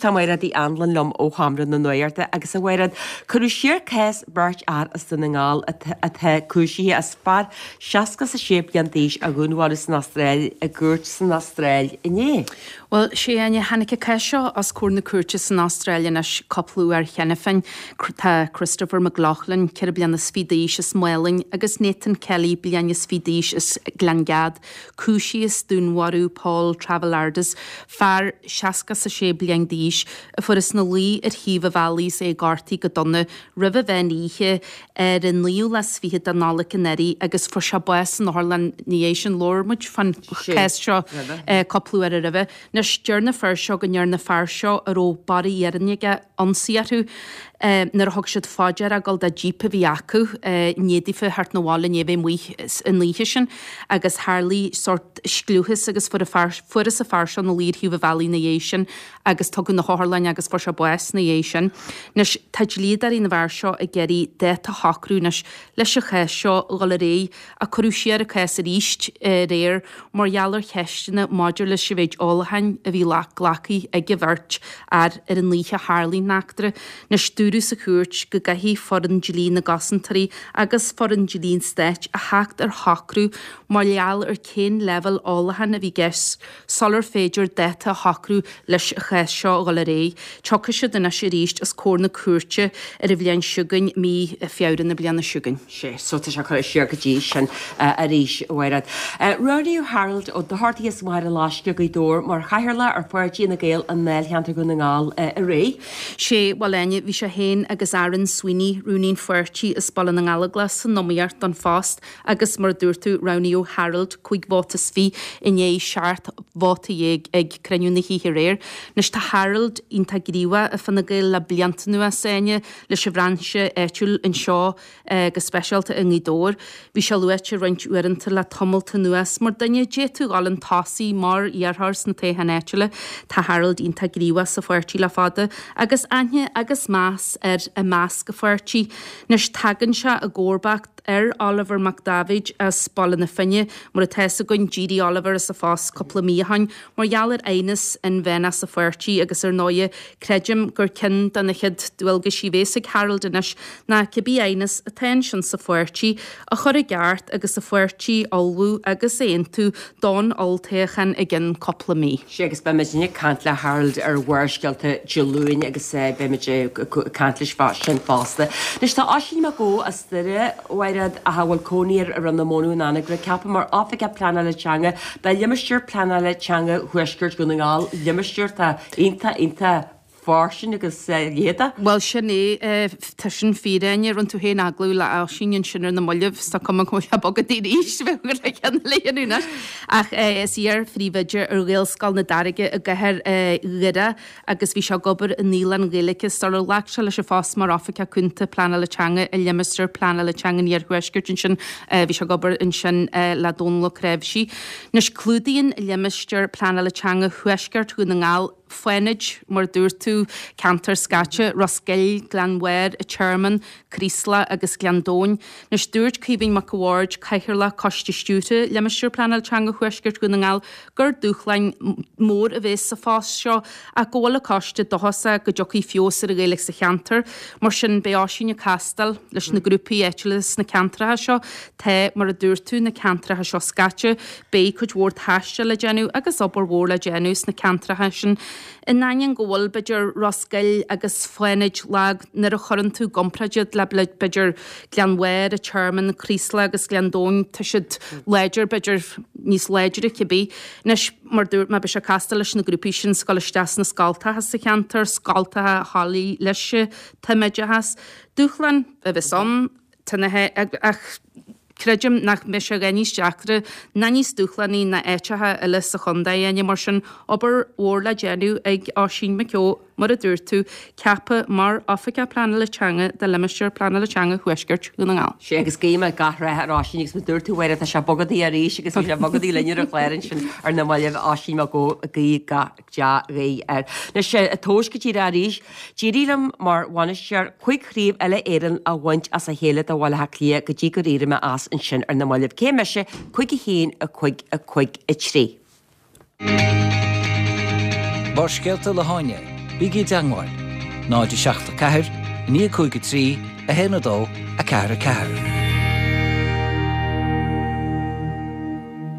tá Mairéad Uí Anluain liom ó Sheomra na Nuachta agus a Mhairéad, cuireadh siar cás beirt fhear as Dún na nGall atá cúisithe as fear 66 bliain d'aois a dhúnmharú san Astráil i gcúirt san Astráil inné. Bhuel, sea, a Áine, tháinig an cás seo os comhair na cúirte san Astráil anois cúpla uair cheana féin. Tá Christopher McLoughlin, 24 bliana d'aois as Málainn, agus Nathan Kelly, bliain is fiche d'aois as Gleann Gad, cúisithe as dúnmharú Paul Travellardis, fear 66 bliain d'aois, a fuarthas ina luí ar thaobh an bhealaigh is é gortaithe go dona roimh an mheán oíche ar an naoú lá is fichead de Nollaig anuraidh agus fuair sé bás san otharlann ina dhiaidh sin. Labhair muid fán chás seo cúpla uair roimhe. Anois, deir na fir seo go ndearna an fear seo, a raibh barra iarainn aige, ionsaí orthu nuair a thug siad fá deara a dhul de jíp a bhí acu i ndiaidh daofa theacht 'na bhaile i ndiaidh a bheith amuigh an oíche sin agus tharlaigh sórt scliúchas agus fuair an fear, fuarthas an fear seo ina luí ar thaobh an bhealaigh ina dhiaidh sin agus tugadh 'na hotharlainne agus fuair sé bás ina dhiaidh sin. Anois, tá dlíodóirí na bhfear seo ag iarraidh dáta a shocrú anois leis an chás seo a dhul ar aghaidh ach cuireadh siar an cás arís aréir mar gheall ar cheisteanna maidir leis an mhéid ólacháin a bhí glactha ag an bheirt fhear ar an oíche a tharlaigh an eachtra. Anois, dúradh sa chúirt go gcaithfidh foireann dlí na gcosantóirí agus foireann dlí an stáit a theacht ar shocrú mar gheall ar cén leibhéal ólacháin a bhí i gceist sular féidir dáta a shocrú leis an chás seo a dhul ar aghaidh. Tiocfaidh siad anois arís os comhair na cúirte ar an bhliain seo chugainn, mí Feabhra na bliana seo chugainn. Sea, so tá sé curtha siar go dtí sin arís, a Mhairéad. Roghnaíodh Harold Ó Dochartaigh as Machaire Loiscthe, Gaoth Dobhair, mar chathaoirleach ar Pháirtí Fhine Gael i ndáilcheantar Dhún na nGall aréir. Sea, bhuel, Áine, bhí sé féin agus Aaron Sweeney, rúnaí an pháirtí as Baile na nGallóglach san iomaíocht don phost Agus mar a dúirt tú, roghnaíodh Harold, 25 vóta in aghaidh 17 vóta ag cruinniú na hoíche aréir. Anois tá Harold iontach gníomhach i Fine Gael le blianta anuas, Áine, leis an bhrainse áitiúil anseo go speisialta i nGaoth Dobhair. Bhí sé luaite roinnt uaireanta le tamalt anuas mar duine a d'fhéadfadh dhul chun tosaigh mar iarrthóir sna toghcháin áitiúla. Tá Harold iontach gníomhach sa pháirtí le fada agus aithne agus meas air i measc an pháirtí. Anois tagann sé i gcomharbacht ar Oliver Mac Dáibhéid as Baile na Finne, mar atá fhios againn, d'éirigh Oliver as a phost cúpla mí ó shoin mar gheall ar aighneas inmheánach sa pháirtí agus ar ndóighe creidim gur ceann de na chéad dualgaisí a bhéas ag Harold anois ná cibé aighneas atá ansin sa pháirtí a chur i gceart agus an pháirtí a ullmhú agus a aontú don olltoghchán i gcionn cúpla mí. Sea, agus beimid ag caint le Harold ar Bharrscéalta Dé Luain agus beimid ag caint leis fá sin fosta. Anois tá Oisín Mac Eó as Doire, a Mhairéad, ach a bhfuil cónaí air i Rinn na Mónadh in Anagaire, ceaptha mar Oifigeach Pleanála Teanga do Limistéar Pleanála Teanga Thuaisceart Dhún na nGall, limistéar atá iontach, iontach fairsing agus leitheadach. Bhuel, sin é, tá sin fíor, Áine. Rinne tú féin agallamh le Oisín ansin ar na mallaibh, 's tá cuma go bhfuil sé bogtha arís, bheadh le ceann eile a dhéanamh anois. Ach is iar-phríomhoide ar Ghaelscoil na Dairge i gcathair Dhoire agus bhí sé ag obair i naíolann Ghaeilge sular ghlac sé leis an phost mar Oifigeach Cúnta Pleanála Teanga i Limistéar Pleanála Teanga an Iarthuaiscirt ansin. Bhí sé ag obair ansin le Dónal Ó Cnáimhsí. Anois, clúdaíonn Limistéar Pleanála Teanga Thuaisceart Dhún na nGall, Fánaid, mar a dúirt tú, ceantar scaite, Ros Goill, Gleann Bhairr, An Tearmann, Creeslough agus Gleann Domhain. Anois, dúirt Caoimhín Mac a' Bhaird, Cathaoirleach Coiste Stiúrtha Limistéar Pleanála Teanga Thuaisceart Dhún na nGall, gur dúshlán mór a bheas sa phost seo ach go bhfuil an coiste dóchasach go dtiocfaidh feabhas ar an Ghaeilge sa cheantar. Mar sin, beidh Oisín ag castáil leis na grúpaí áitiúla sna ceantracha seo. Tá, mar a dúirt tú, na ceantracha seo scaite. Beidh cuid mhór taistil le déanamh agus obair mhór le déanamh sna ceantracha sin. In ainneoin go bhfuil, b'fhéidir, Ros Goill agus Fánaid lag nuair a chuireann tú i gcomparáid iad le, b'fhéidir, Gleann Bhairr, An Tearmann, Creeslough agus Gleann Domhain, tá siad láidir, b'fhéidir, níos láidre cibé. Anois, mar dúirt mé, beidh sé ag castáil leis na grúpaí sin 's ag dul isteach sna scoltacha sa cheantar, scoltacha a thoiligh leis an tumoideachas. Dúshlán a bheas ann. Tá na ach creidim nach mbeidh sé a dhath níos deacra ná níos dúshlánaí ná áiteacha eile sa chontae, Áine. Mar sin, obair mhór le déanamh ag Oisín Mac Eó, mar a dúirt tú, ceaptha mar Oifigeach Pleanála Teanga do Limistéar Pleanála Teanga Thuaisceart Dhún na nGall. Sea, agus guím gach rath ar Oisín agus mar dúirt tú, a Mháire, tá sé bogtha arís agus bhí sé bogtha linn ar an chlár ansin ar na mallaibh, Oisín Mac Eó, guí gach dea-ghuí air. Anois, ag tomhas go díreach arís, d'éirigh liom mar bhainisteoir 5 chraobh uile-Éireann a bhaint as a chéile do Bhaile Átha Cliath go dtí gur éirigh mé as ansin ar na mallaibh. Cé mise? 5 1 5 5 3. Barrscéalta le hÁine. Bígí i dteangmháil, 0 7 4 9 5 3 1 2 4 4.